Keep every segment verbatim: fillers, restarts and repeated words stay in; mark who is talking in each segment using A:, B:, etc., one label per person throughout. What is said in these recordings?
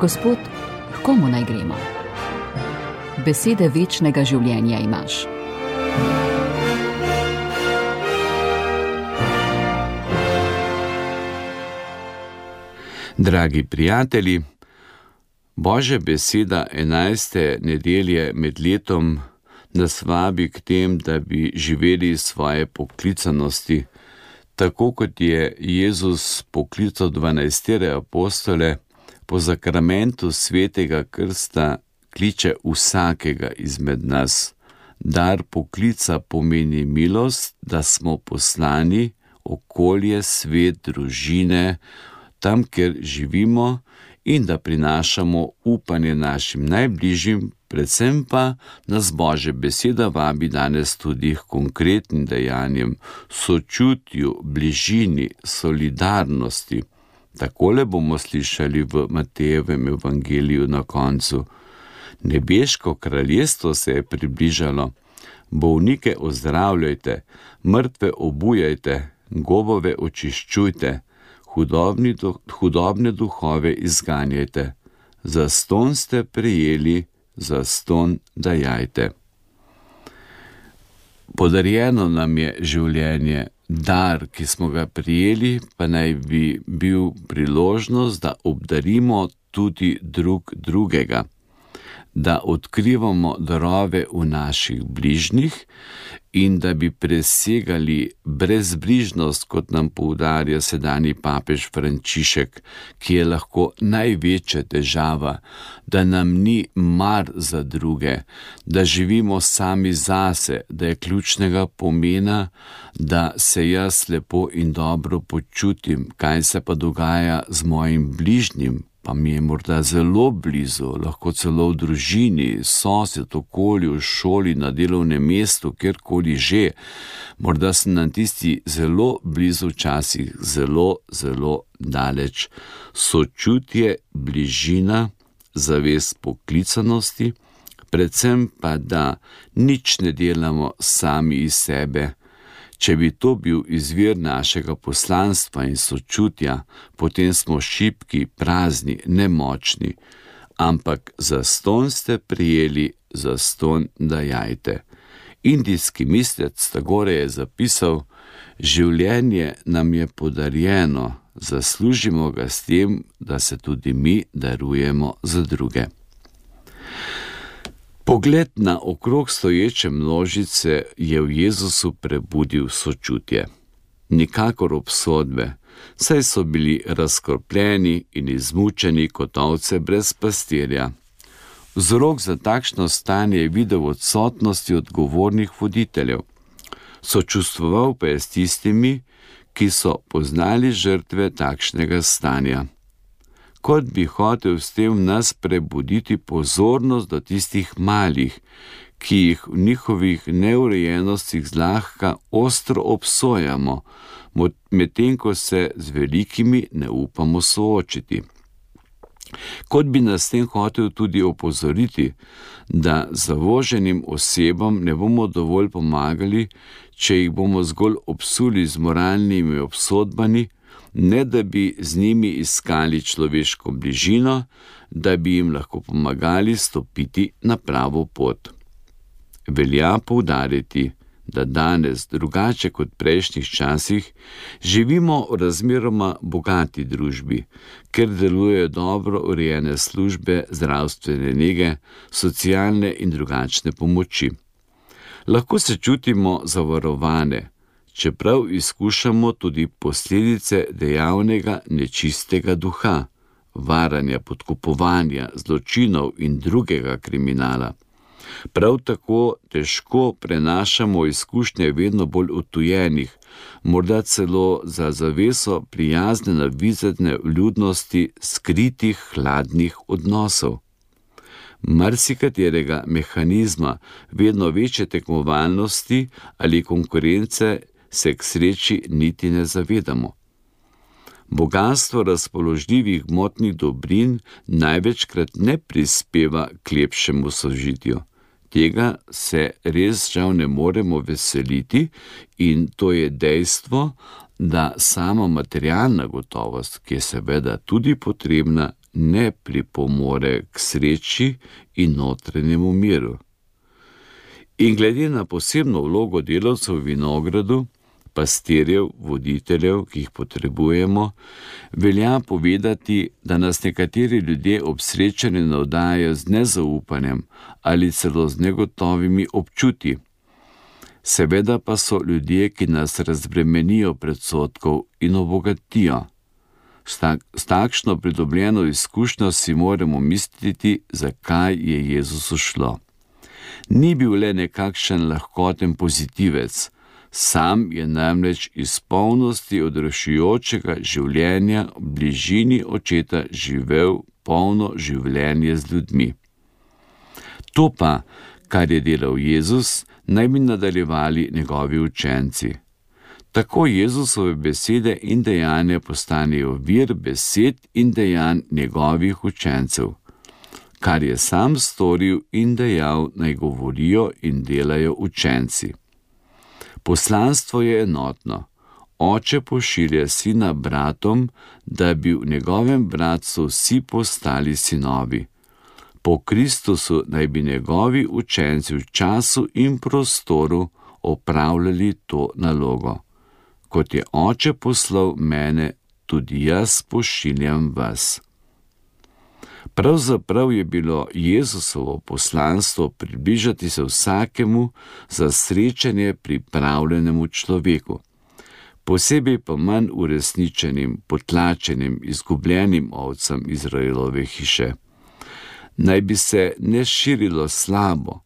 A: Gospod, h komu naj gremo? Besede večnega življenja imaš.
B: Dragi prijatelji, Božja beseda enajste nedelje med letom nas vabi k tem, da bi živeli svoje poklicanosti, tako kot je Jezus poklical dvanajstere apostole, po zakramentu svetega krsta kliče vsakega izmed nas. Dar poklica pomeni milost, da smo poslani, okolje, svet, družine, tam, kjer živimo, in da prinašamo upanje našim najbližjim, predvsem pa nas Božja beseda vabi danes tudi k konkretnim dejanjem, sočutju, bližini, solidarnosti. Takole bomo slišali v Matejevem evangeliju na koncu. Nebeško kraljestvo se je približalo, bolnike ozdravljajte, mrtve obujajte, gobove očiščujte, hudobni do, hudobne duhove izganjajte. Zastonj ste prejeli, zastonj dajajte. Podarjeno nam je življenje, dar, ki smo ga prijeli, pa naj bi bil priložnost, da obdarimo tudi drug drugega, da odkrivamo darove v naših bližnjih in da bi presegali brezbrižnost, kot nam poudarja sedanji papež Frančišek, ki je lahko največja težava, da nam ni mar za druge, da živimo sami zase, da je ključnega pomena, da se jaz lepo in dobro počutim, kaj se pa dogaja z mojim bližnjim, pa mi je morda zelo blizu, lahko celo v družini, sosed, okolju, v šoli, na delovnem mestu, kjerkoli že. Morda sem nam tisti zelo blizu, včasih zelo, zelo daleč. Sočutje, bližina, zavest poklicanosti, predvsem pa, da nič ne delamo sami iz sebe. Če bi to bil izvir našega poslanstva in sočutja, potem smo šibki, prazni, nemočni, ampak zastonj ste prijeli, zastonj dajajte. Indijski mislec Tagore je zapisal: življenje nam je podarjeno, zaslužimo ga s tem, da se tudi mi darujemo za druge. Pogled na okrog stoječe množice je v Jezusu prebudil sočutje. Nikakor obsodbe, saj so bili razkropljeni in izmučeni kot ovce brez pastirja. Vzrok za takšno stanje je videl v odsotnosti odgovornih voditeljev. Sočustvoval pa je s tistimi, ki so poznali žrtve takšnega stanja. Kot bi hotel s tem v nas prebuditi pozornost do tistih malih, ki jih v njihovih neurejenostih zlahka ostro obsojamo, medtem ko se z velikimi ne upamo soočiti. Kot bi nas s tem hotel tudi opozoriti, da zavoženim osebam ne bomo dovolj pomagali, če jih bomo zgolj obsuli z moralnimi obsodbami, ne da bi z njimi iskali človeško bližino, da bi jim lahko pomagali stopiti na pravo pot. Velja poudariti, da danes, drugače kot prejšnjih časih, živimo v razmeroma bogati družbi, ker delujejo dobro urejene službe zdravstvene nege, socialne in drugačne pomoči. Lahko se čutimo zavarovane, čeprav izkušamo tudi posledice dejavnega nečistega duha, varanja, podkupovanja, zločinov in drugega kriminala. Prav tako težko prenašamo izkušnje vedno bolj odtujenih, morda celo za zaveso prijazne navizane vljudnosti skritih hladnih odnosov. Marsikaterega mehanizma vedno večje tekmovalnosti ali konkurence se k sreči niti ne zavedamo. Bogastvo razpoložljivih gmotnih dobrin največkrat ne prispeva k lepšemu sožitju. Tega se res žal ne moremo veseliti in to je dejstvo, da sama materialna gotovost, ki je seveda tudi potrebna, ne pripomore k sreči in notranjemu miru. In glede na posebno vlogo delavcev v vinogradu, pastirjev, voditeljev, ki jih potrebujemo, velja povedati, da nas nekateri ljudje ob srečanju navdajajo z nezaupanjem ali celo z negotovimi občutji. Seveda pa so ljudje, ki nas razbremenijo predsodkov in obogatijo. S, tak, s takšno pridobljeno izkušnjo si moramo misliti, zakaj je Jezusu šlo. Ni bil le nekakšen lahkoten pozitivec, sam je namreč iz polnosti odrešujočega življenja v bližini Očeta živel polno življenje z ljudmi. To pa, kar je delal Jezus, naj bi nadaljevali njegovi učenci. Tako Jezusove besede in dejanja postanejo vir besed in dejanj njegovih učencev. Kar je sam storil in dejal, naj govorijo in delajo učenci. Poslanstvo je enotno. Oče pošilja sina bratom, da bi v njegovem bratstvu vsi postali sinovi. Po Kristusu naj bi njegovi učenci v času in prostoru opravljali to nalogo. Kot je Oče poslal mene, tudi jaz pošiljam vas. Pravzaprav je bilo Jezusovo poslanstvo približati se vsakemu za srečanje pripravljenemu človeku, posebej pa manj uresničenim, potlačenim, izgubljenim ovcam Izraelove hiše. Naj bi se ne širilo slabo,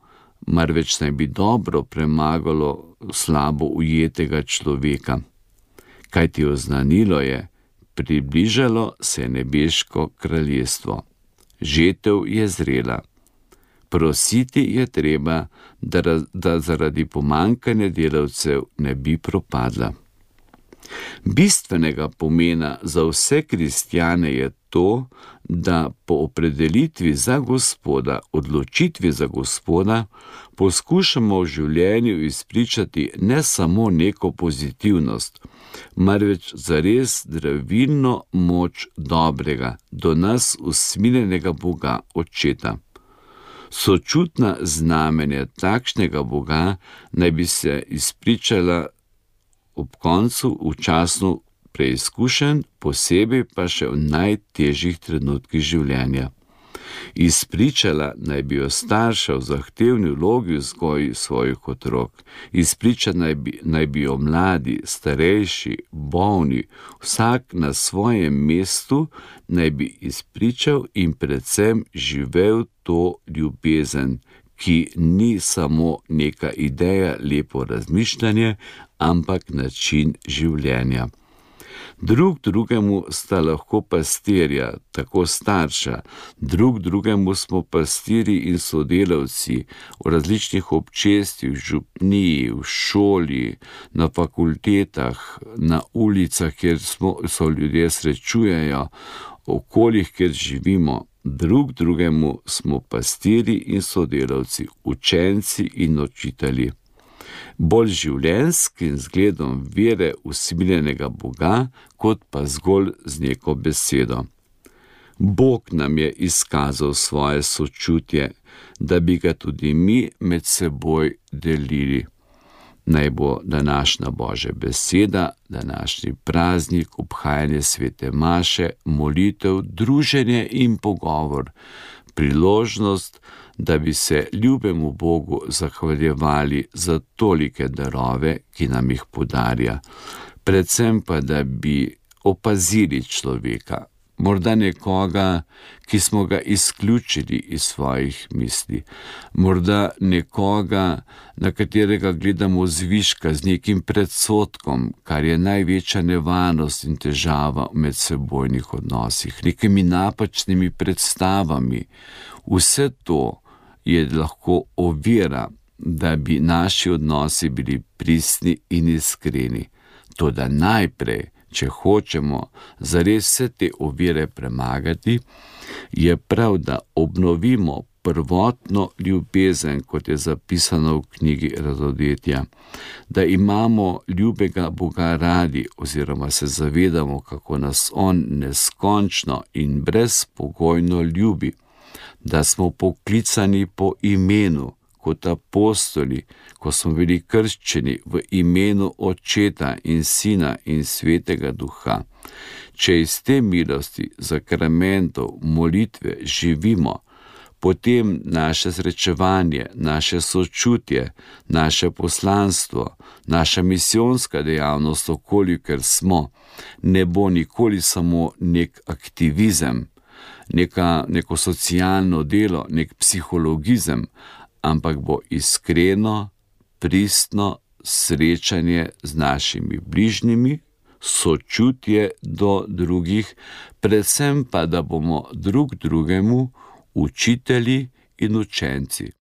B: marveč naj bi dobro premagalo slabo ujetega človeka. Kajti oznanilo je, približalo se je nebeško kraljestvo. Žetev je zrela. Prositi je treba, da, da zaradi pomankanja delavcev ne bi propadla. Bistvenega pomena za vse kristjane je to, da po opredelitvi za Gospoda, odločitvi za Gospoda, poskušamo v življenju izpričati ne samo neko pozitivnost, marveč zares zdravilno moč dobrega, do nas usmiljenega Boga Očeta. Sočutna znamenja takšnega Boga naj bi se izpričala ob koncu v času preizkušenj, posebej pa še v najtežjih trenutkih življenja. Izpričala naj bi jo starša v zahtevni vlogi vzgoji svojih otrok, izpričala naj bi, naj bi jo mladi, starejši, bolni, vsak na svojem mestu naj bi izpričal in predvsem živel to ljubezen, ki ni samo neka ideja, lepo razmišljanje, ampak način življenja. Drug drugemu sta lahko pastirja, tako starša, drug drugemu smo pastiri in sodelavci v različnih občestvih, v župniji, v šoli, na fakultetah, na ulicah, kjer smo, so ljudje srečujejo, v okoljih, kjer živimo. Drug drugemu smo pastiri in sodelavci, učenci in učitelji. Bolj življenjskim zgledom vere usmiljenega Boga, kot pa zgolj z neko besedo. Bog nam je izkazal svoje sočutje, da bi ga tudi mi med seboj delili. Naj bo današnja Božja beseda, današnji praznik, obhajanje svete maše, molitev, druženje in pogovor, priložnost, da bi se ljubemu Bogu zahvaljevali za tolike darove, ki nam jih podarja, predvsem pa, da bi opazili človeka, morda nekoga, ki smo ga izključili iz svojih misli, morda nekoga, na katerega gledamo zviška z nekim predsodkom, kar je največja nevarnost in težava v medsebojnih odnosih, nekimi napačnimi predstavami. Vse to je lahko ovira, da bi naši odnosi bili pristni in iskreni. Toda najprej, če hočemo zares vse te ovire premagati, je prav, da obnovimo prvotno ljubezen, kot je zapisano v knjigi Razodetja, da imamo ljubega Boga radi oziroma se zavedamo, kako nas On neskončno in brezpogojno ljubi, da smo poklicani po imenu, kot apostoli, ko smo bili krščeni v imenu Očeta in Sina in Svetega Duha. Če iz te milosti, sakramentov, molitve živimo, potem naše srečevanje, naše sočutje, naše poslanstvo, naša misijonska dejavnost, okolikor smo, ne bo nikoli samo nek aktivizem, neka, neko socialno delo, nek psihologizem, ampak bo iskreno, pristno srečanje z našimi bližnjimi, sočutje do drugih, predvsem pa, da bomo drug drugemu učitelji in učenci.